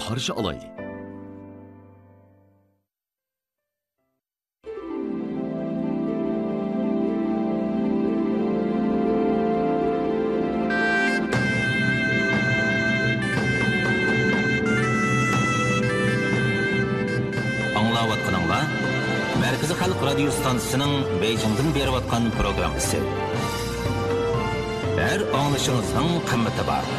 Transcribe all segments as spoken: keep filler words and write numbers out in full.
قارشى ئالايلى. ئاڭلاۋاتقىنىڭلار مەركىزىي خەلق رادىيو ستانسىسىنىڭ بېيجىڭدىن بېرىۋاتقان پروگراممىسى. ھەر ئاڭلىشىڭىزنىڭ قىممىتى بار.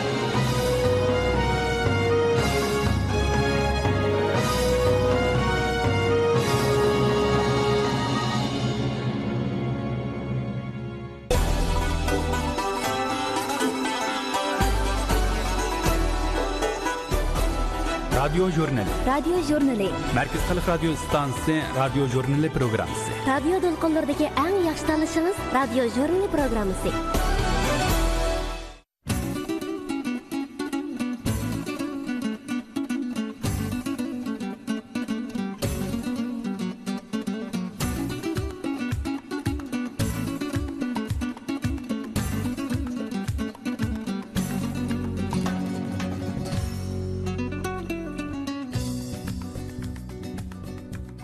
رادىيو ژۇرنىلى. رادىيو ژۇرنىلى. مەركىزىي خەلق رادىيو ئىستانسىسى رادىيو ژۇرنىلى پروگراممىسى. رادىيو دولقۇنلىرىدىكى ئەڭ ياخشى تاللىشىڭىز رادىيو ژۇرنىلى پروگراممىسى.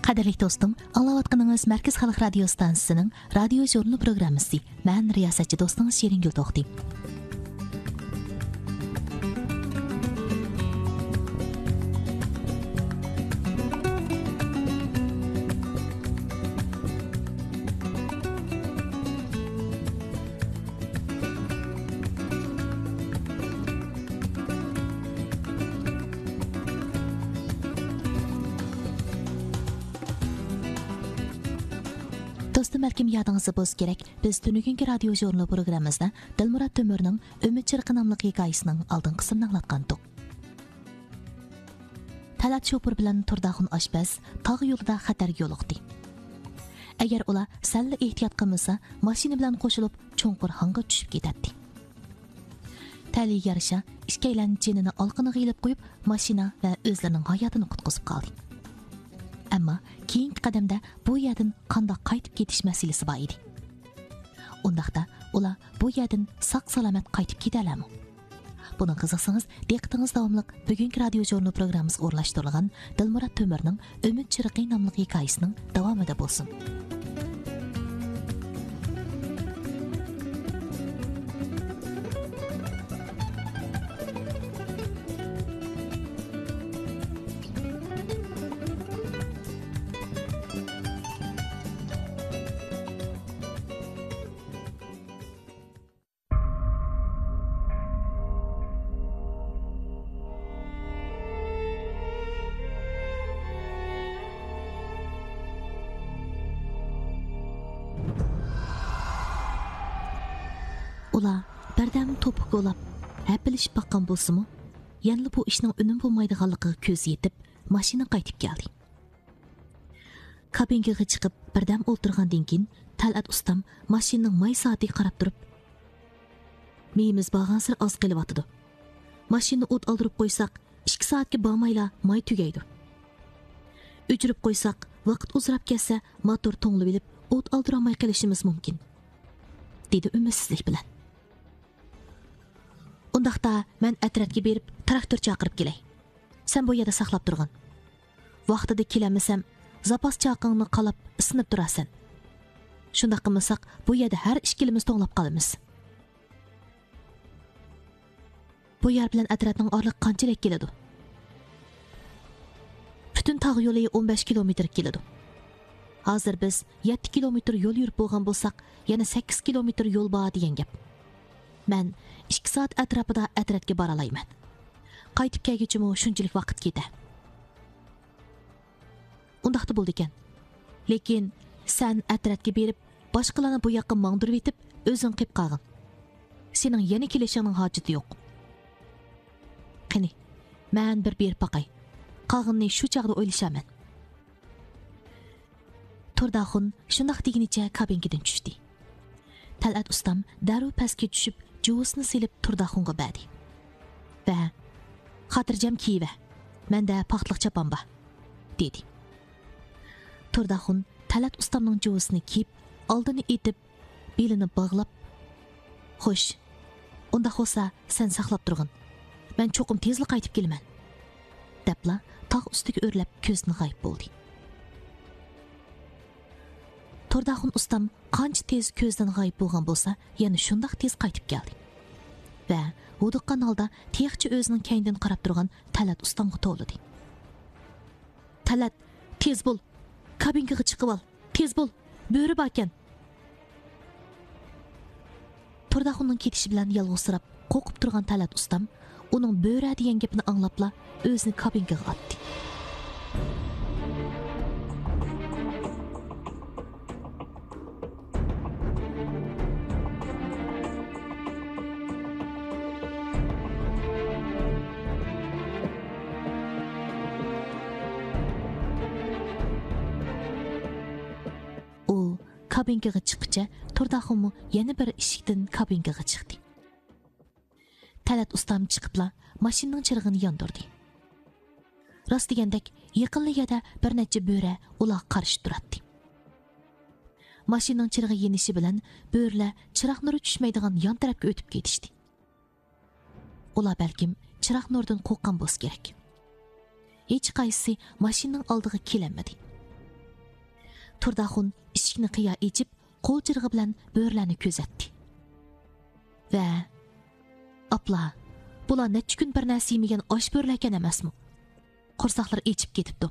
قەدىرلىك دوستۇم، ئاڭلاۋاتقىنىڭىز مەركىزىي خەلق رادىيو ئىستانسىسىنىڭ رادىيو ژۇرنىلى پروگراممىسى. مەن رىياسەتچى دوستىڭىز شېرىنگۈل توختى. دوستۇم، بەلكىم يادىڭىزدا بولسا كېرەك، بىز تۈنۈگۈنكى رادىيو ژۇرنىلى پروگراممىمىزدا دىلمۇرات تۆمۈرنىڭ ئۈمىد چىرىقى ناملىق ھېكايىسىنىڭ ئالدىنقى قىسمىنى ئاڭلاتقانتۇق. تەلئەت شوپۇر بىلەن تۇرداخۇن ئاشپەز تاغ يولىدا خەتەرگە يولۇقتى. ئەگەر ئۇلار سەللا ئېھتىيات قىلمىسا، ماشىنا بىلەن قوشۇلۇپ چوڭقۇر ھاڭغا چۈشۈپ كېتەتتى. تەلىيىگە يارىشا، ئىككىيلەن جېنىنى ئالىقىنىغا ئېلىپ قويۇپ، ماشىنا ۋە ئۆزلىرىنىڭ ھاياتىنى قۇتقۇزۇپ قالدى. ئەمما كېيىنكى قەدەمدە بۇ يەردىن قانداق قايتىپ كېتىش مەسىلىسى بار ئىدى. ئۇنداقتا ئۇلار بۇ يەردىن ساق-سالامەت قايتىپ كېتەلەرمۇ؟ بۇنىڭغا قىزىقسىڭىز، دىققىتىڭىز داۋاملىق بۈگۈنكى رادىيو ژۇرنىلى پروگراممىسىغا ئورۇنلاشتۇرۇلغان دىلمۇرات تۆمۈرنىڭ ئۈمىد چىرىقى ناملىق ھېكايىسىنىڭ داۋامىدا بولسۇن. ئۇلار بىردەم توپا كولاپ، ھەپىلىشىپ باققان بولسىمۇ، يەنىلا بۇ ئىشنىڭ ئۈنۈم بولمايدىغانلىقىغا كۆزى يېتىپ، ماشىنا قايتىپ كەلدى. كابىنكىغا چىقىپ، بىردەم ئولتۇرغاندىن كېيىن، تەلئەت ئۇستام ماشىنىنىڭ ماي سائىتىگە قاراپ تۇرۇپ، مېيىمىز بارغانسېرى ئاز قېلىۋاتىدۇ. ماشىنىنى ئوت ئالدۇرۇپ قويساق، ئىككى سائەتكە بارمايلا ماي تۈگەيدۇ. ئۆچۈرۈپ قويساق، ۋاقىت ئۇزىراپ كەتسە، موتور توڭلىۋېلىپ، ئوت ئالدۇرالماي قېلىشىمىز مۇمكىن، دېدى ئۈمىدسىزلىك بىلەن. ئۇنداقتا مەن ئەترەتكە بېرىپ، تىراكتور چاقىرىپ كېلەي. سەن بۇ يەردە ساقلاپ تۇرغىن. ۋاقتىدا كېلەلمىسەم، زاپاس چاقىڭنى قالاپ، ئىسسىنىپ تۇرارسەن. شۇنداق قىلمىساق، بۇ يەردە ھەر ئىككىلىمىز توڭلاپ قالىمىز. بۇ يەر بىلەن ئەترەتنىڭ ئارىلىقى قانچىلىك كېلىدۇ؟ پۈتۈن تاغ يولى ئون بەش كىلومېتىرغا كېلىدۇ. ھازىر بىز يەتتە كىلومېتىر يول يۈرۈپ بولغان بولساق، يەنە سەككىز كىلومېتىر يول بار دېگەن گەپ. مەن ئىككى سائەت ئەتراپىدا ئەترەتكە بارالايمەن. قايتىپ كەلگۈچىمۇ شۇنچىلىك ۋاقىت كېتە. ئۇنداقتا بولىدىكەن. لېكىن سەن ئەترەتكە بېرىپ، باشقىلارنى بۇ ياققا ماڭدۇرۇۋېتىپ، ئۆزۈڭ قېلىپ قالغىن. سېنىڭ يەنە كېلىشىڭنىڭ ھاجىتى يوق. قېنى، مەن بىر بېرىپ باقاي. قالغىنىنى شۇ چاغدا ئويلىشارمەن. تۇرداخۇن شۇنداق دېگىنىچە كابىنكىدىن چۈشتى. تەلئەت ئۇستام دەررۇ پەسكە چۈشۈپ، جۇۋىسىنى سېلىپ تۇرداخۇنغا بەردى. ۋە، خاتىرجەم كىيىۋە، مەندە پاختىلىق چاپان بار، دېدى. تۇرداخۇن تەلئەت ئۇستامنىڭ جۇۋىسىنى كىيىپ، ئالدىنى ئېتىپ، بېلىنى باغلاپ، خوش، ئۇنداق بولسا سەن ساقلاپ تۇرغىن، مەن چوقۇم تېزلا قايتىپ كېلىمەن، دەپ ئاڭلاپلا تاغ ئۈستىگە ئۆرلەپ كۆزدىن غايىب بولدى. تورداخۇن ئۇستام قانچە تېز كۆزدىن غايىب بولغان بولسا، يەنە شۇنداق تېز قايتىپ كەلدى ۋە ھودۇققان ھالدا تېخىچە ئۆزىنىڭ كەينىدىن قاراپ تۇرغان تەلئەت ئۇستامغا توۋلىدى. تەلئەت، تېز بول! كابىنكىغا چىقىۋال! تېز بول! بۆرە باركەن! تورداخۇننىڭ كېتىشى بىلەن يالغۇزسىراپ، قورقۇپ تۇرغان تەلئەت ئۇستام ئۇنىڭ بۆرە دېگەن گېپىنى ئاڭلاپلا ئۆزىنى كابىنكىغا ئاتتى. ئۇ كابىنكىغا چىققىچە تورداخۇنمۇ يەنە بىر ئىشىكتىن كابىنكىغا چىقتى. تەلئەت ئۇستام چىقىپلا ماشىنىنىڭ چىرىغىنى ياندۇردى. راست دېگەندەك، يېقىنلا يەردە بىر نەچچە بۆرە ئۇلارغا قارشى تۇراتتى. ماشىنىنىڭ چىرىغى يېنىشى بىلەن بۆرىلەر چىراغ نۇرى چۈشمەيدىغان يان تەرەپكە ئۆتۈپ كېتىشتى. ئۇلار بەلكىم چىراغ نۇرىدىن قورققان بولسا كېرەك. ھېچقايسىسى ماشىنىنىڭ ئالدىغا كېلەلمىدى. تورداخۇن ئىشىكنى قىيا ئېچىپ، قول چىرىغى بىلەن بۆرىلەرنى كۆزەتتى. ۋە، ئاپلا، بۇلار نەچچە كۈن بىر نەرسە يېمىگەن ئاچ بۆرىلەركەن ئەمەسمۇ؟ قورساقلىرى ئېچىپ كېتىپتۇ.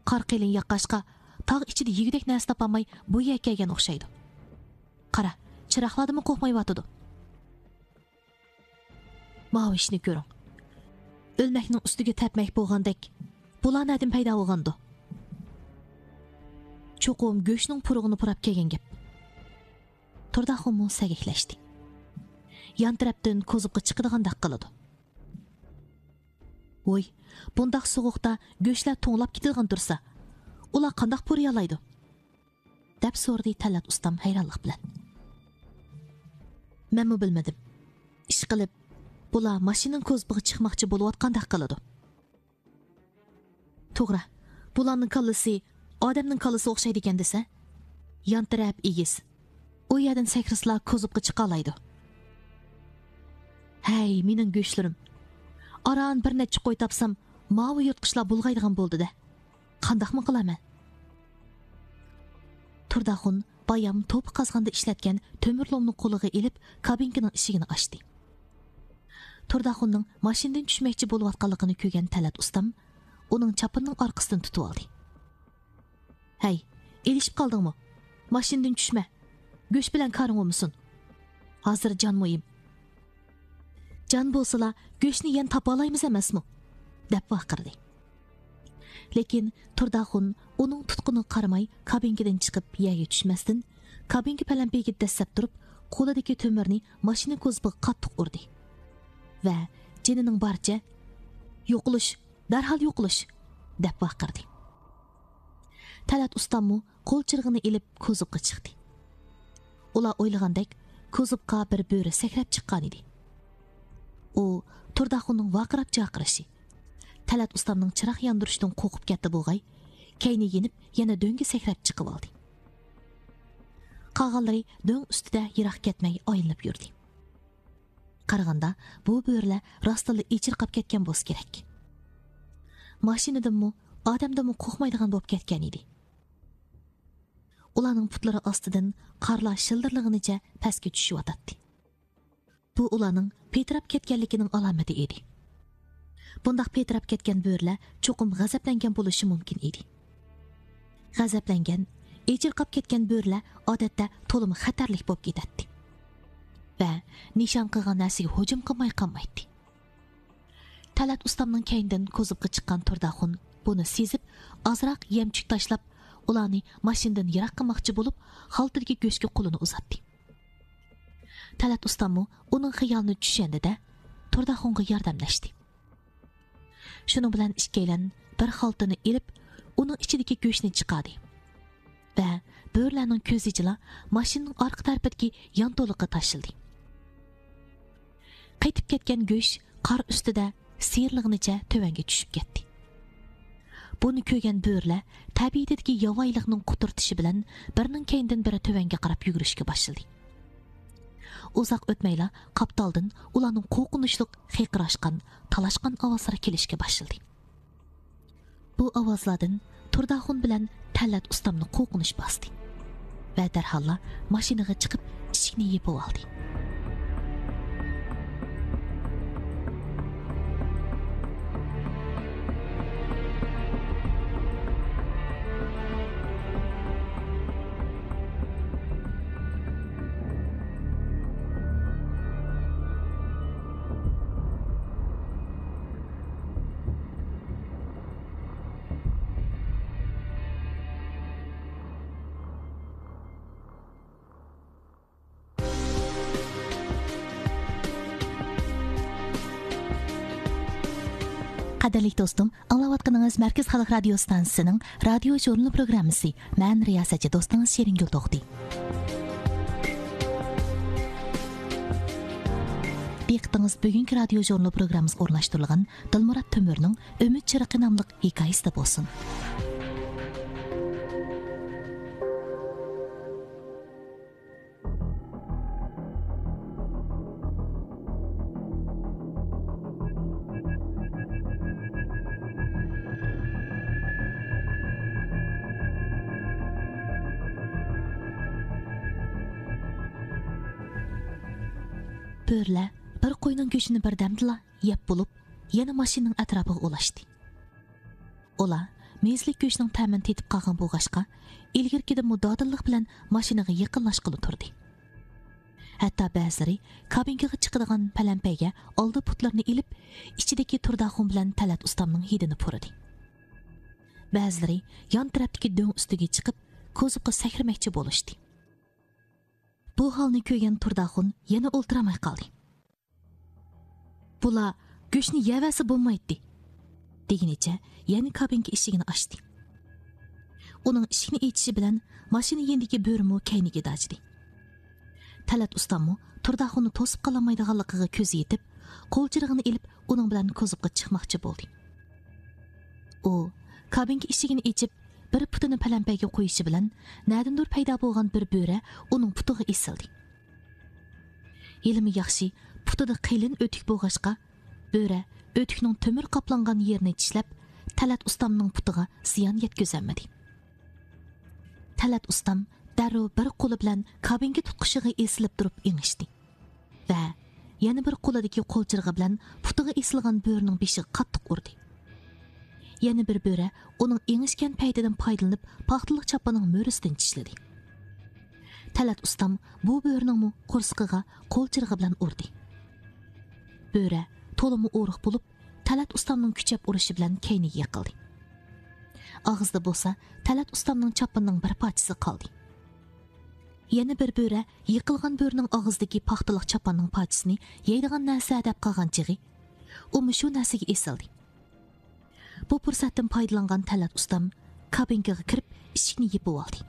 قار قېلىن ياغقاچقا، تاغ ئىچىدە يېگۈدەك نەرسە تاپالماي بۇ يەرگە كەلگەن ئوخشايدۇ. قارا، چىراغلاردىنمۇ قورقمايۋاتىدۇ. ماۋۇ ئىشنى كۆرۈڭ. ئۆلمەكنىڭ ئۈستىگە تەپمەك بولغاندەك، بۇلار نەدىن پەيدا بولغاندۇ؟ چوقۇم گۆشنىڭ پۇرىقىنى پۇراپ كەلگەن گەپ. تورداخۇنمۇ سەگەكلەشتى. يان تەرەپتىن كوزۇپقا چىقىدىغاندەك قىلىدۇ. ۋوي، بۇنداق سوغۇقتا گۆشلەر توڭلاپ كېتىدىغان تۇرسا، ئۇلار قانداق پۇرىيالايدۇ؟ دەپ سورىدى تەلئەت ئۇستام ھەيرانلىق بىلەن. مەنمۇ بىلمىدىم. ئىشقىلىپ، بۇلار ماشىنىنىڭ كوزۇپىغا چىقماقچى بولۇۋاتقاندەك قىلىدۇ. توغرا، بۇلارنىڭ كاللىسى ئادەمنىڭ كاللىسىغا ئوخشايدىكەن دېسە. يان تەرەپ ئېگىز. ئۇ يەردىن سەكرىسىلا كوزۇپقا چىقالايدۇ. ھەي، مېنىڭ گۆشلىرىم! ئاران بىر نەچچە قوي تاپسام، ماۋۇ يىرتقۇچلار بۇلغايدىغان بولدى-دە. قانداقمۇ قىلارمەن؟ تورداخۇن بايام توپا قازغاندا ئىشلەتكەن تۆمۈر لومنى قولىغا ئېلىپ، كابىنكىنىڭ ئىشىكىنى ئاچتى. تورداخۇننىڭ ماشىنىدىن چۈشمەكچى بولۇۋاتقانلىقىنى كۆرگەن تەلئەت ئۇستام ئۇنىڭ چاپىنىنىڭ ئارقىسىدىن تۇتۇۋالدى. ھەي، ئېلىشىپ قالدىڭمۇ؟ ماشىنىدىن چۈشمە. گۆش بىلەن كارىڭ بولمىسۇن. ھازىر جان مۇھىم. جان بولسىلا، گۆشنى يەنە تاپالايمىز ئەمەسمۇ؟ دەپ ۋارقىرىدى. لېكىن تورداخۇن ئۇنىڭ تۇتقىنىغا قارىماي، كابىنكىدىن چىقىپ يەرگە چۈشمەستىن، كابىنكا پەلەمپىيىگە دەسسەپ تۇرۇپ، قولىدىكى تۆمۈرنى ماشىنا كوزۇپىغا قاتتىق ئۇردى ۋە جېنىنىڭ بارىچە، «يوقىلىش! دەرھال يوقىلىش!» دەپ ۋارقىرىدى. تەلئەت ئۇستاممۇ قول چىرىغىنى ئېلىپ كوزۇپقا چىقتى. ئۇلار ئويلىغاندەك، كوزۇپقا بىر بۆرە سەكرەپ چىققانىدى. ئۇ تورداخۇننىڭ ۋارقىراپ جارقىرىشى، تەلئەت ئۇستامنىڭ چىراغ ياندۇرۇشىدىن قورقۇپ كەتتى بولغاي، كەينى يېنىپ يەنە دۆڭگە سەكرەپ چىقىۋالدى. قالغانلىرى دۆڭ ئۈستىدە يىراق كەتمەي ئايلىنىپ يۈردى. قارىغاندا، بۇ بۆرىلەر راستتىنلا ئېچىرقاپ كەتكەن بولسا كېرەك. ماشىنىدىنمۇ، ئادەمدىنمۇ قورقمايدىغان بولۇپ كەتكەن ئىدى. ئۇلارنىڭ پۇتلىرى ئاستىدىن قارلار شىلدىرلىغىنىچە پەسكە چۈشۈۋاتاتتى. بۇ ئۇلارنىڭ پىتىراپ كەتكەنلىكىنىڭ ئالامىتى ئىدى. بۇنداق پىتىراپ كەتكەن بۆرىلەر چوقۇم غەزەپلەنگەن بولۇشى مۇمكىن ئىدى. غەزەپلەنگەن، ئېچىرقاپ كەتكەن بۆرىلەر ئادەتتە تولىمۇ خەتەرلىك بولۇپ كېتەتتى ۋە نىشان قىلغان نەرسىگە ھۇجۇم قىلماي قالمايتتى. تەلئەت ئۇستامنىڭ كەينىدىن كوزۇپقا چىققان تورداخۇن بۇنى سېزىپ، ئازراق يەمچۈك تاشلاپ، ئۇلارنى ماشىنىدىن يىراق قىلماقچى بولۇپ، خالتىدىكى گۆشكە قولىنى ئۇزاتتى. تەلئەت ئۇستاممۇ ئۇنىڭ خىيالىنى چۈشەندى-دە، تورداخۇنغا ياردەملەشتى. شۇنىڭ بىلەن ئىككىيلەن بىر خالتىنى ئېلىپ، ئۇنىڭ ئىچىدىكى گۆشنى چىقاردى ۋە بۆرىلەرنىڭ كۆزى ئىچىلا ماشىنىنىڭ ئارقا تەرىپىدىكى يانتۇلۇققا تاشلىدى. قېتىپ كەتكەن گۆش قار ئۈستىدە سىيرىلغىنىچە تۆۋەنگە چۈشۈپ كەتتى. بۇنى كۆرگەن بۆرىلەر تەبىئىتىدىكى ياۋايىلىقنىڭ قۇتۇرتۇشى بىلەن بىرىنىڭ كەينىدىن بىرى تۆۋەنگە قاراپ يۈگۈرۈشكە باشلىدى. ئۇزاق ئۆتمەيلا قاپتالدىن ئۇلارنىڭ قورقۇنچلۇق خىرقىراشقان، تالاشقان ئاۋازلىرى كېلىشكە باشلىدى. بۇ ئاۋازلاردىن تۇرداخۇن بىلەن تەلئەت ئۇستامنى قورقۇنچ باستى ۋە دەرھاللا ماشىنىغا چىقىپ، ئىشىكنى يېپىۋالدى. قەدىرلىك دوستۇم، ئاڭلاۋاتقىنىڭىز مەركىزىي خەلق رادىيو ئىستانسىسىنىڭ رادىيو ژۇرنىلى پروگراممىسى. مەن رىياسەتچى دوستىڭىز شېرىنگۈل توختى. دىققىتىڭىز بۈگۈنكى رادىيو ژۇرنىلى پروگراممىسىغا ئورۇنلاشتۇرۇلغان دىلمۇرات تۆمۈرنىڭ ئۈمىد چىرىقى ناملىق ھېكايىسىدە بولسۇن. بۆرىلەر بىر قوينىڭ گۆشىنى بىردەمدىلا يەپ بولۇپ، يەنە ماشىنىنىڭ ئەتراپىغا ئولاشتى. ئۇلار مېزىلىك گۆشنىڭ تەمىنى تېتىپ قالغان بولغاچقا، ئىلگىرىكىدىنمۇ دادىللىق بىلەن ماشىنىغا يېقىنلاشقىلى تۇردى. ھەتتا بەزىلىرى كابىنكىغا چىقىدىغان پەلەمپەيگە ئالدى پۇتلىرىنى ئېلىپ، ئىچىدىكى تۇرداخۇن بىلەن تەلئەت ئۇستامنىڭ ھىدىنى پۇرىدى. بەزىلىرى يان تەرەپتىكى دۆڭ ئۈستىگە چىقىپ، كوزۇپقا سەكرىمەكچى بولۇشتى. بۇ ھالنى كۆرگەن تۇرداخۇن يەنە ئولتۇرالماي قالدى. بۇلار گۆشنى يەۋەرسە بولمايتتى، دېگىنىچە يەنە كابىنكا ئىشىكىنى ئاچتى. ئۇنىڭ ئىشىكنى ئېچىشى بىلەن ماشىنا يېنىدىكى بۆرىمۇ كەينىگە داجىدى. تەلئەت ئۇستاممۇ تۇرداخۇننى توسۇپ قالالمايدىغانلىقىغا كۆزى يېتىپ، قول چىرىغىنى ئېلىپ، ئۇنىڭ بىلەن كوزۇپقا چىقماقچى بولدى. ئۇ كابىنكا ئىشىكىنى ئېچىپ، بىر پۇتىنى پەلەمپەيگە قويۇشى بىلەن، نەدىندۇر پەيدا بولغان بىر بۆرە ئۇنىڭ پۇتىغا ئېسىلدى. ھېلىمۇ ياخشى، پۇتىدا قېلىن ئۆتۈك بولغاچقا، بۆرە ئۆتۈكنىڭ تۆمۈر قاپلانغان يېرىنى چىشلەپ، تەلئەت ئۇستامنىڭ پۇتىغا زىيان يەتكۈزەلمىدى. تەلئەت ئۇستام دەررۇ بىر قولى بىلەن كابىنكا تۇتقۇچىغا ئېسىلىپ تۇرۇپ ئېڭىشتى ۋە يەنە بىر قولىدىكى قول چىرىغى بىلەن پۇتىغا ئېسىلغان بۆرىنىڭ بېشىغا قاتتىق ئۇردى. يەنە بىر بۆرە ئۇنىڭ ئېڭىشكەن پەيتىدىن پايدىلىنىپ، پاختىلىق چاپىنىنىڭ مۈرىسىدىن چىشلىدى. تەلئەت ئۇستام بۇ بۆرىنىڭمۇ قورسىقىغا قول چىرىغى بىلەن ئۇردى. بۆرە تولىمۇ ئورۇق بولۇپ، تەلئەت ئۇستامنىڭ كۈچەپ ئۇرۇشى بىلەن كەينىگە يىقىلدى. ئاغزىدا بولسا تەلئەت ئۇستامنىڭ چاپىنىنىڭ بىر پارچىسى قالدى. يەنە بىر بۆرە يىقىلغان بۆرىنىڭ ئاغزىدىكى پاختىلىق چاپاننىڭ پارچىسىنى يەيدىغان نەرسە دەپ قالغان چېغى، ئۇمۇ شۇ نەرسىگە ئېسىلدى. بۇ پۇرسەتتىن پايدىلانغان تەلئەت ئۇستام كابىنكىغا كىرىپ، ئىشىكنى يېپىۋالدى.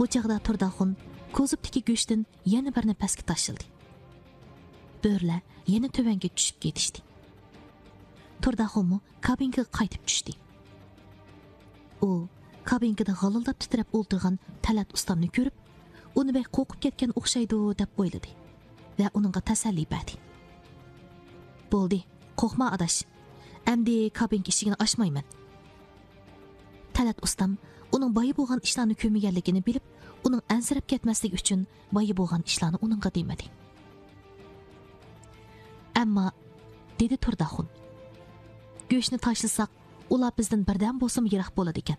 بۇ چاغدا تۇرداخۇن كوزۇپتىكى گۆشتىن يەنە بىرنى پەسكە تاشلىدى. بۆرىلەر يەنە تۆۋەنگە چۈشۈپ كېتىشتى. تۇرداخۇنمۇ كابىنكىغا قايتىپ چۈشتى. ئۇ كابىنكىدا غالىلداپ تىترەپ ئولتۇرغان تەلئەت ئۇستامنى كۆرۈپ، ئۇنى بەك قورقۇپ كەتكەن ئوخشايدۇ، دەپ ئويلىدى ۋە ئۇنىڭغا تەسەللى بەردى. بولدى، قورقما ئاداش، ئەمدى كابىنكا ئىشىكىنى ئاچمايمەن. تەلئەت ئۇستام ئۇنىڭ بايا بولغان ئىشلارنى كۆرمىگەنلىكىنى بىلىپ، ئۇنىڭ ئەنسىرەپ كەتمەسلىكى ئۈچۈن بايا بولغان ئىشلارنى ئۇنىڭغا دېمىدى. ئەمما، دېدى تۇرداخۇن، گۆشنى تاشلىساق، ئۇلار بىزدىن بىردەم بولسىمۇ يىراق بولىدىكەن.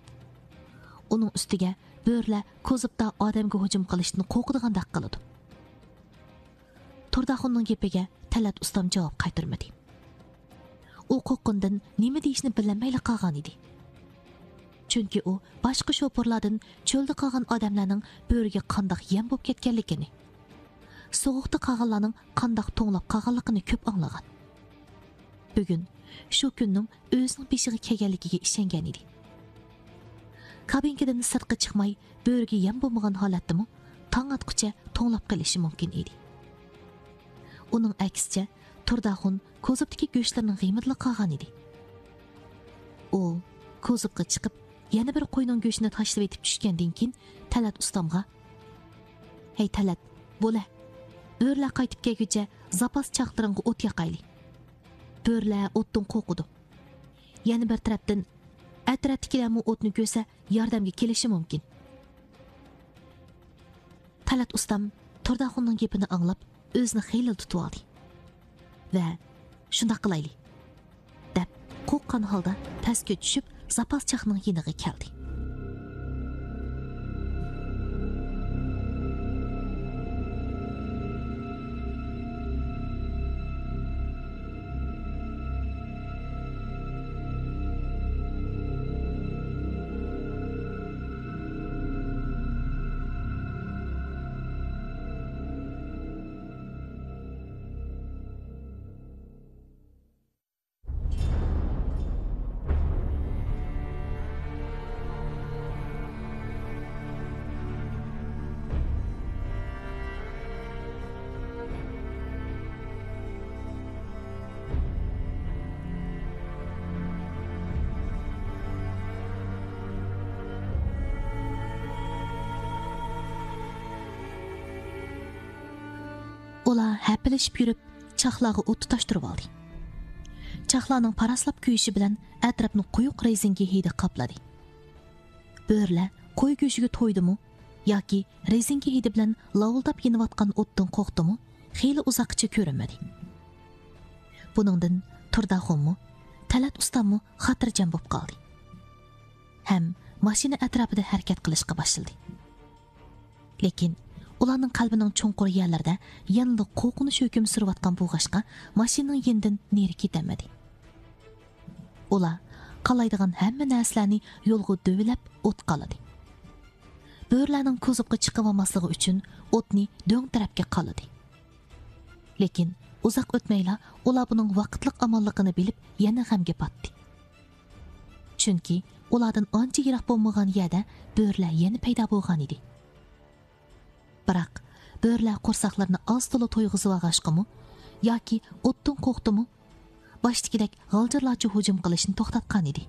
ئۇنىڭ ئۈستىگە بۆرىلەر كوزۇپتا ئادەمگە ھۇجۇم قىلىشتىن قورقىدىغاندەك قىلىدۇ. تۇرداخۇننىڭ گېپىگە تەلئەت ئۇستام جاۋاب قايتۇرمىدى. ئۇ قورققىنىدىن نېمە دېيىشنى بىلەلمەيلا قالغان ئىدى. چۈنكى ئۇ باشقا شوپۇرلاردىن چۆلدە قالغان ئادەملەرنىڭ بۆرىگە قانداق يەم بولۇپ كەتكەنلىكىنى، سوغۇقتا قالغانلارنىڭ قانداق توڭلاپ قالغانلىقىنى كۆپ ئاڭلىغان. بۈگۈن شۇ كۈننىڭ ئۆزىنىڭ بېشىغا كەلگەنلىكىگە ئىشەنگەن ئىدى. كابىنكىدىن سىرتقا چىقماي، بۆرىگە يەم بولمىغان ھالەتتىمۇ تاڭ ئاتقۇچە توڭلاپ قېلىشى مۇمكىن ئىدى. ئۇنىڭ ئەكسىچە، تۇرداخۇن كوزۇپتىكى گۆشلىرىنىڭ غېمىدىلا قالغان ئىدى. ئۇ كوزۇپقا چىقىپ، يەنە بىر قوينىڭ گۆشىنى تاشلىۋېتىپ چۈشكەندىن كېيىن، تەلەت ئۇستامغا، «ھەي تەلەت، بولە، بۆرىلەر قايتىپ كەلگۈچە زاپاس چاقلىرىڭغا ئوت ياقايلى. بۆرىلەر ئوتتىن قورقىدۇ. يەنە بىر تەرەپتىن، ئەتراپتىكىلەرمۇ ئوتنى كۆرسە، ياردەمگە كېلىشى مۇمكىن.» تەلەت ئۇستام تۇرداخۇننىڭ گېپىنى ئاڭلاپ، ئۆزىنى خېلىلا تۇتۇۋالدى ۋە، «شۇنداق قىلايلى» دەپ، قورققان ھالدا پەسكە چۈشۈپ، زاپاس چاقنىڭ يېنىغا كەلدى. ئۇلار ھەپىلىشىپ يۈرۈپ، چاقلارغا ئوت تۇتاشتۇرۇۋالدى. چاقلارنىڭ پاراسلاپ كۆيۈشى بىلەن ئەتراپنى قويۇق رېزىنكە ھىدى قاپلىدى. بۆرىلەر قوي گۆشىگە تويدىمۇ ياكى رېزىنكە ھىدى بىلەن لاۋۇلداپ يېنىۋاتقان ئوتتىن قورقتىمۇ، خېلى ئۇزاققىچە كۆرۈنمىدى. بۇنىڭدىن تۇرداخۇنمۇ، تەلەت ئۇستاممۇ خاتىرجەم بولۇپ قالدى ھەم ماشىنا ئەتراپىدا ھەرىكەت قىلىشقا باشلىدى. لېكىن ئۇلارنىڭ قەلبىنىڭ چوڭقۇر يەرلىرىدە يەنىلا قورقۇنچ ھۆكۈم سۈرۈۋاتقان بولغاچقا، ماشىنىنىڭ يېنىدىن نېرى كېتەلمىدى. ئۇلار قالايدىغان ھەممە نەرسىلەرنى يولغا دۆۋىلەپ ئوتقا ئالىدى. بۆرىلەرنىڭ كوزۇپقا چىقىۋالماسلىقى ئۈچۈن ئوتنى دۆڭ تەرەپكە قالىدى. لېكىن ئۇزاق ئۆتمەيلا ئۇلار بۇنىڭ ۋاقىتلىق ئاماللىقىنى بىلىپ، يەنە غەمگە پاتتى. چۈنكى ئۇلاردىن ئانچە يىراق بولمىغان يەردە بۆرىلەر يەنە پەيدا بولغان ئىدى. بىراق، بۆرىلەر قورساقلىرىنى ئاز-تولا تويغۇزۇۋالغاچقىمۇ ياكى ئوتتىن قورقتىمۇ، باشتىكىدەك غالجىرلارچە ھۇجۇم قىلىشنى توختاتقان ئىدى.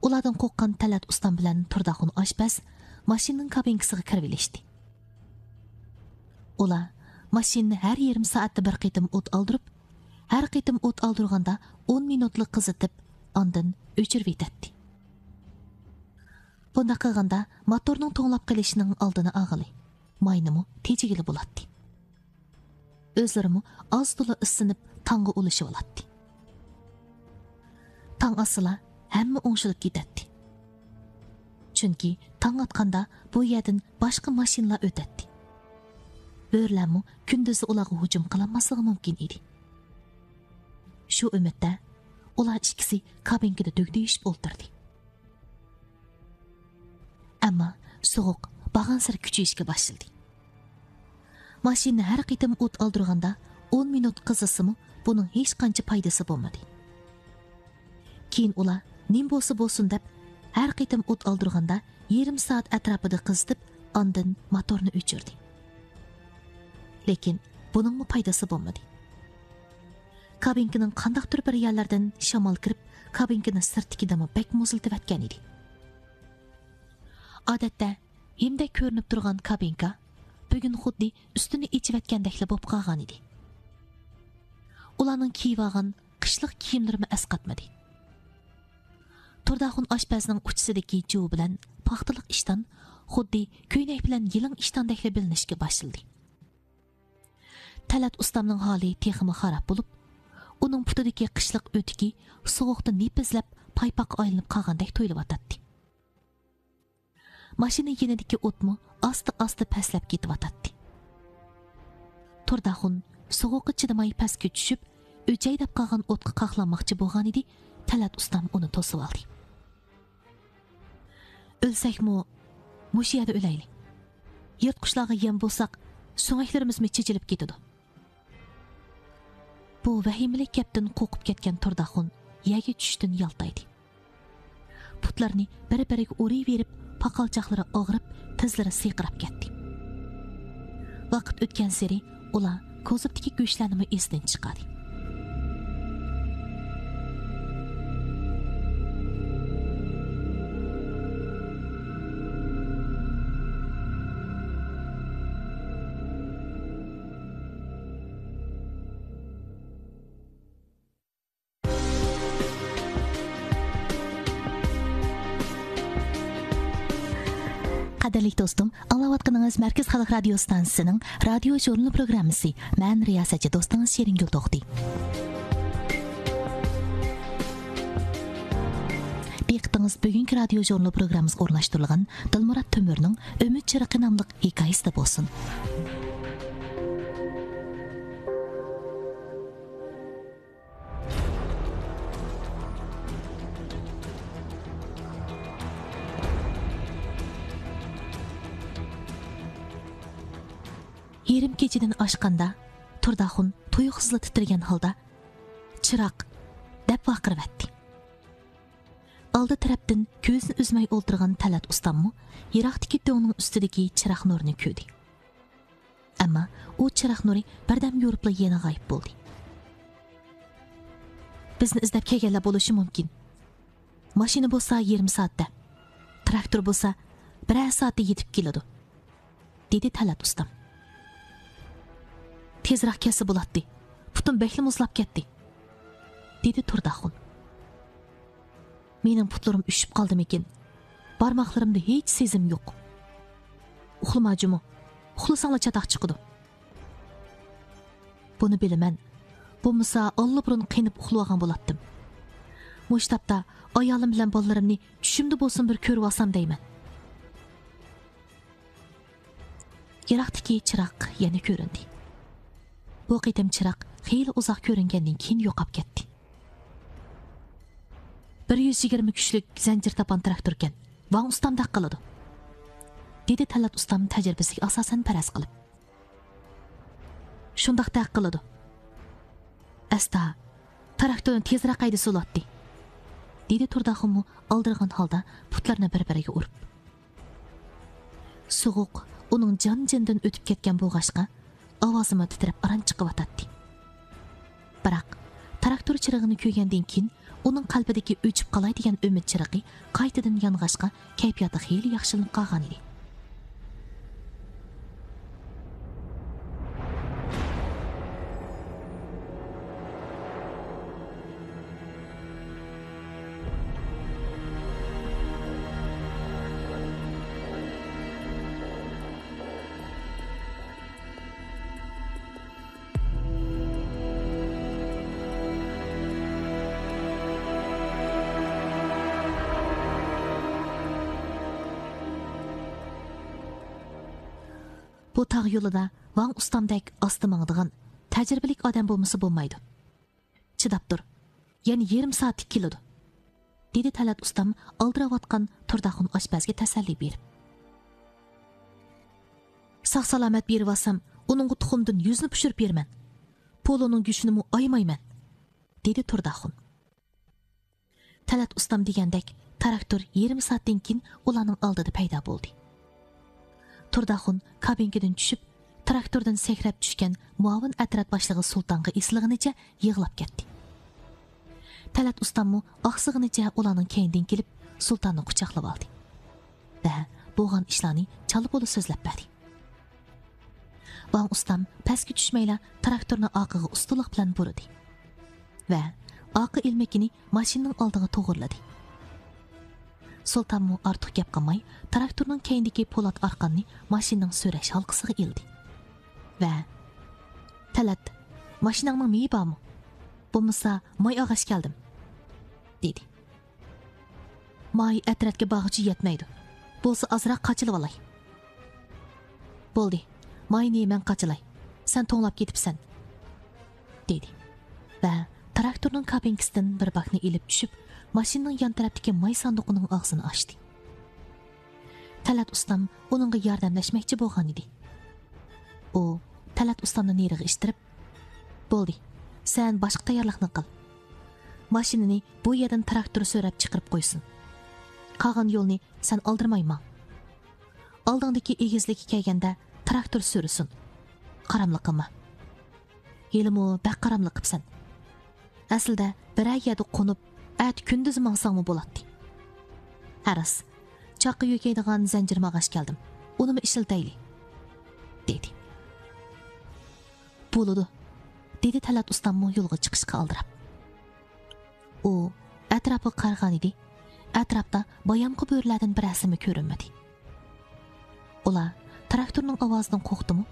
ئۇلاردىن قورققان تەلەت ئۇستام بىلەن تۇرداخۇن ئاشپەز ماشىنىنىڭ كابىنكىسىغا كىرىۋېلىشتى. ئۇلار ماشىنىنى ھەر يېرىم سائەتتە بىر قېتىم ئوت ئالدۇرۇپ، ھەر قېتىم ئوت ئالدۇرغاندا ئون مىنۇتلا قىزىتىپ، ئاندىن ئۆچۈرۈۋېتەتتى. بۇنداق قىلغاندا موتورنىڭ توڭلاپ قېلىشىنىڭ ئالدىنى ئالغىلى، ماينىمۇ تېجىگىلى بولاتتى. ئۆزلىرىمۇ ئاز-تولا ئىسسىنىپ، تاڭغا ئۇلىشىۋالاتتى. تاڭ ئاتسىلا، ھەممە ئوڭشىلىپ كېتەتتى. چۈنكى تاڭ ئاتقاندا بۇ يەردىن باشقا ماشىنىلار ئۆتەتتى. بۆرىلەرمۇ كۈندۈزى ئۇلارغا ھۇجۇم قىلالماسلىقى مۇمكىن ئىدى. شۇ ئۈمىدتە ئۇلار ئىككىسى كابىنكىدا دۈگدۈيۈشۈپ ئولتۇردى. ئەمما سوغۇق بارغانسېرى كۈچىيىشكە باشلىدى. ماشىنىنى ھەر قېتىم ئوت ئالدۇرغاندا ئون مىنۇت قىزىسىمۇ، بۇنىڭ ھېچقانچە پايدىسى بولمىدى. كېيىن ئۇلار نېمە بولسا بولسۇن دەپ، ھەر قېتىم ئوت ئالدۇرغاندا يېرىم سائەت ئەتراپىدا قىزىتىپ، ئاندىن موتورنى ئۆچۈردى. لېكىن بۇنىڭمۇ پايدىسى بولمىدى. كابىنكىنىڭ قانداقتۇر بىر يەرلەردىن شامال كىرىپ، كابىنكىنى سىرتتىكىدىنمۇ بەك مۇزلىتىۋەتكەن ئىدى. ئادەتتە ھىمدەك كۆرۈنۈپ تۇرغان كابىنكا بۈگۈن خۇددى ئۈستىنى ئېچىۋەتكەندەكلا بولۇپ قالغان ئىدى. ئۇلارنىڭ كىيىۋالغان قىشلىق كىيىملىرىمۇ ئەسقاتمىدى. تۇرداخۇن ئاشپەزنىڭ ئۇچىسىدىكى جۇۋا بىلەن پاختىلىق ئىشتان خۇددى كۆينەك بىلەن يىلىڭ ئىشتاندەكلا بىلىنىشكە باشلىدى. تەلەت ئۇستامنىڭ ھالى تېخىمۇ خاراب بولۇپ، ئۇنىڭ پۇتىدىكى قىشلىق ئۆتۈكى سوغۇقتا نېپىزلەپ، پايپاققا ئايلىنىپ قالغاندەك تۇيۇلۇۋاتاتتى. ماشىنا يېنىدىكى ئوتمۇ ئاستا-ئاستا پەسلەپ كېتىۋاتاتتى. تۇرداخۇن سوغۇققا چىدىماي پەسكە چۈشۈپ، ئۆچەي دەپ قالغان ئوتقا قاقلانماقچى بولغانىدى، تەلەت ئۇستام ئۇنى توسۇۋالدى. «ئۆلسەكمۇ مۇشۇ يەردە ئۆلەيلى. يىرتقۇچلارغا يەم بولساق، سۆڭەكلىرىمىزمۇ چېچىلىپ كېتىدۇ. بۇ ۋەھىمىلىك گەپتىن قورقۇپ كەتكەن تۇرداخۇن يەرگە چۈشۈشتىن يالتايدى. پۇتلىرىنى بىر-بىرىگە ئۇرۇۋېرىپ، پاقالچاقلىرى ئاغرىپ، تىزلىرى سىرقىراپ كەتتى. ۋاقىت ئۆتكەنسېرى ئۇلار كوزۇپتىكى گۆشلەرنىمۇ ئېسىدىن چىقاردى. قەدىرلىك دوستۇم، ئاڭلاۋاتقىنىڭىز مەركىزىي خەلق رادىيو ئىستانسىسىنىڭ رادىيو ژۇرنىلى پروگراممىسى. مەن رىياسەتچى دوستىڭىز شېرىنگۈل توختى. دىققىتىڭىز بۈگۈنكى رادىيو ژۇرنىلى پروگراممىسىغا ئورۇنلاشتۇرۇلغان دىلمۇرات تۆمۈرنىڭ ئۈمىد چىرىقى ناملىق ھېكايىسىدە بولسۇن. يېرىم كېچىدىن ئاشقاندا، تۇرداخۇن تۇيۇقسىزلا تىترىگەن ھالدا، «چىراغ!» دەپ ۋارقىرىۋەتتى. ئالدى تەرەپتىن كۆزىنى ئۈزمەي ئولتۇرغان تەلەت ئۇستاممۇ يىراقتىكى دۆڭنىڭ ئۈستىدىكى چىراغ نۇرىنى كۆردى. ئەمما ئۇ چىراغ نۇرى بىردەم يورۇپلا يەنە غايىب بولدى. «بىزنى ئىزدەپ كەلگەنلەر بولۇشى مۇمكىن. ماشىنا بولسا يېرىم سائەتتە، تىراكتور بولسا بىرەر سائەتتە يېتىپ كېلىدۇ»، دېدى تەلەت ئۇستام. «تېزراق كەلسە بولاتتى. پۇتۇم بەكلا مۇزلاپ كەتتى»، دېدى تۇرداخۇن. «مېنىڭ پۇتلىرىم ئۈشۈپ قالدىمىكىن؟ بارماقلىرىمدا ھېچ سېزىم يوق. ئۇخلىما جۇمۇ. ئۇخلىساڭلا چاتاق چىقىدۇ.» «بۇنى بىلىمەن. بولمىسا ئاللىبۇرۇن قېنىپ ئۇخلىۋالغان بولاتتىم. مۇشۇ تاپتا ئايالىم بىلەن بالىلىرىمنى چۈشۈمدە بولسىمۇ بىر كۆرۈۋالسام دەيمەن.» يىراقتىكى چىراغ يەنە كۆرۈندى. بۇ قېتىم چىراغ خېلى ئۇزاق كۆرۈنگەندىن كېيىن يوقاپ كەتتى. «بىر يۈز يىگىرمە كۈچلۈك زەنجىر تاپان تىراكتوركەن، ۋاڭ ئۇستامدەك قىلىدۇ»، دېدى تەلەت ئۇستام تەجرىبىسىگە ئاساسەن پەرەز قىلىپ. «شۇنداق دەق قىلىدۇ. ئەستا، تىراكتورنى تېزرەك ھەيدىسە بولاتتى»، دېدى تۇرداخۇنمۇ ئالدىرىغان ھالدا پۇتلىرىنى بىر-بىرىگە ئۇرۇپ. سوغۇق ئۇنىڭ جان-جېنىدىن ئۆتۈپ كەتكەن بولغاچقا، ئاۋازىمۇ تىترەپ ئاران چىقىۋاتاتتى. بىراق، تىراكتور چىرىغىنى كۆرگەندىن كېيىن، ئۇنىڭ قەلبىدىكى ئۆچۈپ قالاي دېگەن ئۈمىد چىرىغى قايتىدىن يانغاچقا، كەيپىياتى خېلى ياخشىلىنىپ قالغانىدى. بۇ تاغ يولىدا ۋاڭ ئۇستامدەك ئاستا ماڭىدىغان، تەجرىبىلىك ئادەم بولمىسا بولمايدۇ. چىداپ تۇر. يەنە يېرىم سائەتتە كېلىدۇ، دېدى تەلەت ئۇستام ئالدىراۋاتقان تۇرداخۇن ئاشپەزگە تەسەللى بېرىپ. ساق-سالامەت بېرىۋالسام، ئۇنىڭغا تۇخۇمدىن يۈزنى پىشۇرۇپ بېرىمەن. پولۇنىڭ گۆشىنىمۇ ئايىمايمەن، دېدى تۇرداخۇن. تەلەت ئۇستام دېگەندەك، تىراكتور يېرىم سائەتتىن كېيىن ئۇلارنىڭ ئالدىدا پەيدا بولدى. تۇرداخۇن كابىنكىدىن چۈشۈپ، تىراكتوردىن سەكرەپ چۈشكەن مۇئاۋىن ئەترەت باشلىقى سۇلتانغا ئېسىلغىنىچە يىغلاپ كەتتى. تەلەت ئۇستاممۇ ئاقسىغىنىچە ئۇلارنىڭ كەينىدىن كېلىپ، سۇلتاننى قۇچاقلىۋالدى ۋە بولغان ئىشلارنى چالا-پۇلا سۆزلەپ بەردى. ۋاڭ ئۇستام پەسكە چۈشمەيلا تىراكتورنى ئارقىغا ئۇستىلىق بىلەن بۇرىدى ۋە ئارقا ئىلمىكىنى ماشىنىنىڭ ئالدىغا توغرىلىدى. سۇلتانمۇ ئارتۇق گەپ قىلماي، تىراكتورنىڭ كەينىدىكى پولات ئارقاننى ماشىنىنىڭ سۆرەش ھالقىسىغا ئىلدى ۋە، «تەلەت، ماشىناڭنىڭ مېيى بارمۇ؟ بولمىسا ماي ئالغاچ كەلدىم»، دېدى. «ماي ئەترەتكە بارغۇچە يەتمەيدۇ. بولسا ئازراق قاچىلىۋالاي.» «بولدى، ماينى مەن قاچىلاي. سەن توڭلاپ كېتىپسەن.» دېدى ۋە تىراكتورنىڭ كابىنكىسىدىن بىر باكنى ئېلىپ چۈشۈپ، ماشىنىنىڭ يان تەرەپتىكى ماي ساندۇقىنىڭ ئاغزىنى ئاچتى. تەلەت ئۇستام ئۇنىڭغا ياردەملەشمەكچى بولغانىدى. ئۇ تەلئەت ئۇستامنى نېرىغا ئىتتىرىپ، بولدى، سەن باشقا تەييارلىقنى قىل. ماشىنىنى بۇ يەردىن تىراكتور سۆرەپ چىقىرىپ قويسۇن. قالغان يولنى سەن ئالدىرىماي ماڭ. ئالدىڭدىكى ئېگىزلىككە كەلگەندە تىراكتور سۈرسۇن. قاراملىق قىلما. ھېلىمۇ بەك قاراملىق قىپسەن. ئەسلىدە بىرەر يەردە قونۇپ، ئەتە كۈندۈز ماڭساڭمۇ بولاتتى. ھە راست، چاققا يۆگەيدىغان زەنجىرىم ئالغاچ كەلدىم. ئۇنىمۇ ئىشلىتەيلى، دېدى. بولىدۇ، دېدى تەلئەت ئۇستاممۇ يولغا چىقىشقا ئالدىراپ. ئۇ ئەتراپىغا قارىغانىدى. ئەتراپتا بايامقى بۆرىلەردىن بىرەرسىمۇ كۆرۈنمىدى. ئۇلار تىراكتورنىڭ ئاۋازىدىن قورقتىمۇ،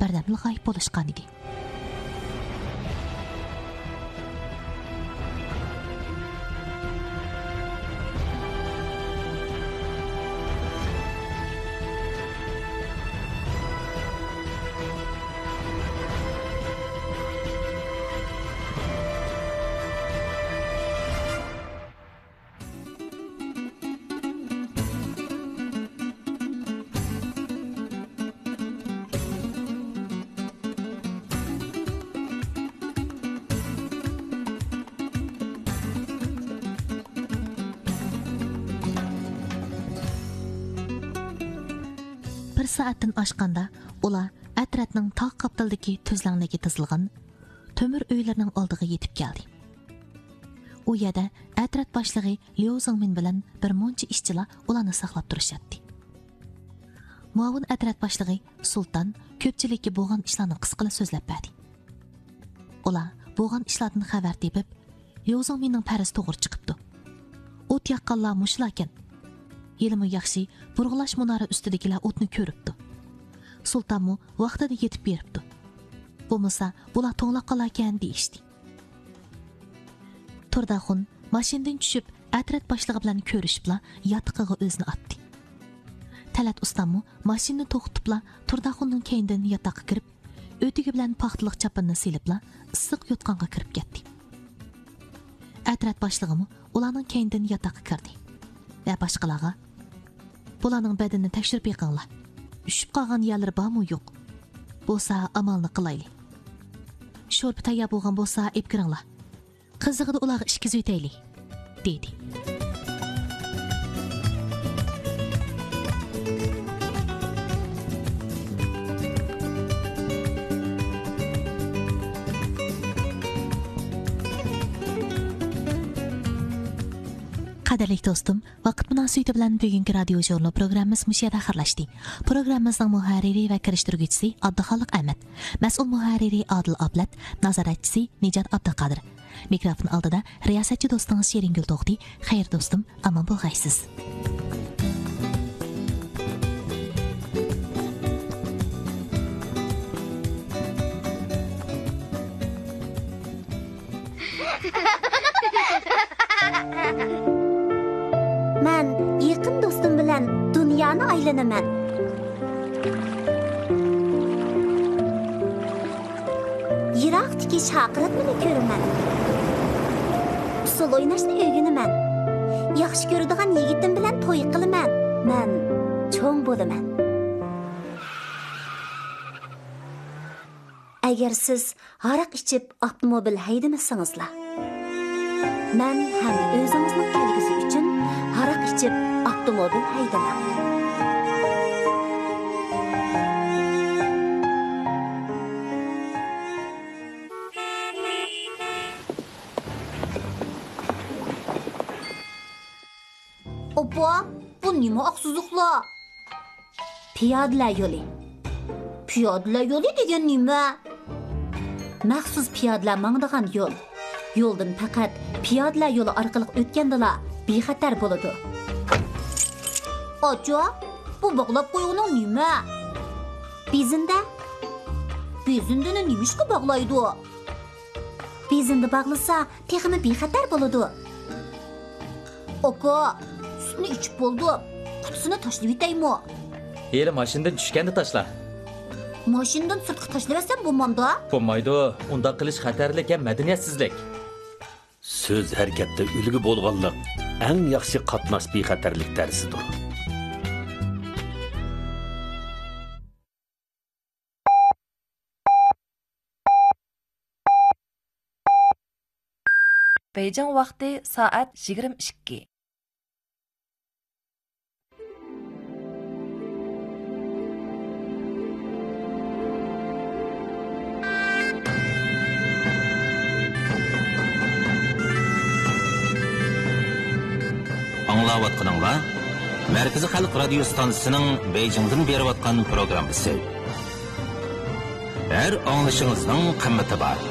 بىردەملا غايىب بولۇشقانىدى. بىر سائەتتىن ئاشقاندا ئۇلار ئەترەتنىڭ تاغ قاپتىلىدىكى تۈزلەڭلىكى تىزىلغان تۆمۈر ئۆيلىرىنىڭ ئالدىغا يېتىپ كەلدى. ئۇ يەردە ئەترەت باشلىقى ليۇ زېڭمىن بىلەن بىر مۇنچە ئىشچىلار ئۇلارنى ساقلاپ تۇرۇشاتتى. مۇئاۋىن ئەترەت باشلىقى سۇلتان كۆپچىلىككە بولغان ئىشلارنى قىسقىلا سۆزلەپ بەردى. ئۇلار بولغان ئىشلاردىن خەۋەر تېپىپ، ليۇ زېڭمىننىڭ پەرىزى توغرا چىقىپتۇ. ئوت ياققانلار مۇشۇلاركەن. ھېلىمۇ ياخشى، بۇرغىلاش مۇنارى ئۈستىدىكىلەر ئوتنى كۆرۈپتۇ. سۇلتانمۇ ۋاقتىدا يېتىپ بېرىپتۇ. بولمىسا، بۇلار توڭلاپ قالاركەن دېيىشتى. تۇرداخۇن ماشىنىدىن چۈشۈپ، ئەترەت باشلىقى بىلەن كۆرۈشۈپلا ياتىقىغا ئۆزىنى ئاتتى. تەلئەت ئۇستاممۇ ماشىنىنى توختىتىپلا تۇرداخۇننىڭ كەينىدىن ياتاققا كىرىپ، ئۆتۈكى بىلەن پاختىلىق چاپىنىنى سېلىپلا ئىسسىق يوتقانغا كىرىپ كەتتى. ئەترەت باشلىقىمۇ ئۇلارنىڭ كەينىدىن ياتاققا كىردى ۋە باشقىلارغا، بۇلارنىڭ بەدىنىنى تەكشۈرۈپ بېقىڭلار. ئۈشۈپ قالغان يەرلىرى بارمۇ يوق؟ بولسا ئامالنى قىلايلى. شورپا تەييار بولغان بولسا ئېلىپ كىرىڭلار. قىزىغىدا ئۇلارغا ئىچكۈزۈۋېتەيلى، دېدى. قەدىرلىك دوستۇم، ۋاقىت مۇناسىۋىتى بىلەن بۈگۈنكى رادىيو ژۇرنىلى پروگراممىمىز مۇشۇ يەردە ئاخىرلاشتى. پروگراممىمىزنىڭ مۇھەررىرى ۋە كىرىشتۈرگۈچىسى ئابدۇخالىق ئەمەت، مەسئۇل مۇھەررىرى ئادىل ئابلەت، نازارەتچىسى نىجات ئابدۇقادىر. مىكروفون ئالدىدا رىياسەتچى دوستىڭىز شېرىنگۈل توختى. خەير دوستۇم، ئامان بولغايسىز. مەن يېقىن دوستۇم بىلەن دۇنيانى ئايلىنىمەن. يىراقتىكى شاقىراتنىمۇ كۆرىمەن. ئۇسسۇل ئويناشنى ئۆگىنىمەن. ياخشى كۆرىدىغان يىگىتىم بىلەن توي قىلىمەن. مەن چوڭ بولىمەن. ئەگەر سىز ھاراق ئىچىپ ئاپتوموبىل ھەيدىمىسىڭىزلا، مەن ھەم ئۆزىڭىزنىڭ كەلگۈسى ئۈچۈن ھاراق ئىچىپ ئاپتوموبىل ھەيدىمەڭ. ئاپا، بۇ نېمە ئاق سىزىقلار؟ پىيادىلەر يولى. پىيادىلەر يولى دېگەن نېمە؟ مەخسۇس پىيادىلەر ماڭىدىغان يول. يولدىن پەقەت پىيادىلەر يولى ئارقىلىق ئۆتكەندىلا بىخەتەر بولىدۇ. ئاچا، بۇ باغلاپ قويغىنىڭ نېمە؟ بېزىندە. بېزىندىنى نېمىشقا باغلايدۇ؟ بېزىندە باغلىسا، تېخىمۇ بىخەتەر بولىدۇ. ئاكا، سۈتنى ئىچىپ بولدۇم. قۇتىسىنى تاشلىۋېتەيمۇ؟ ھېلى ماشىنىدىن چۈشكەندە تاشلا. ماشىنىدىن سىرتقا تاشلىۋەتسەم بولمامدۇ؟ بولمايدۇ. ئۇنداق قىلىش خەتەرلىك ھەم مەدەنىيەتسىزلىك. سۆز ھەرىكەتتە ئۈلگە بولغانلىق ئەڭ ياخشى قاتناش بىخەتەرلىك دەرسىدۇر. بېيجىڭ ۋاقتى سائەت يىگىرمە ئىككى. ئاڭلاۋاتقىنىڭلار مەركىزىي خەلق رادىيو ستانسىسىنىڭ بېيجىڭدىن بېرىۋاتقان پروگراممىسى. ھەر ئاڭلىشىڭىزنىڭ قىممىتى بار.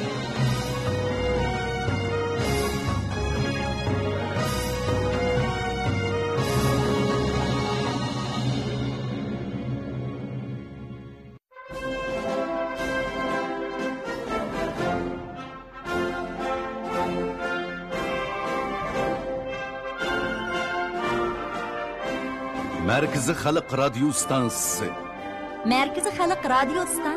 مەركىزىي خەلق رادىيو ستانسىسى. مەركىزىي خەلق رادىيو ستانسىسى.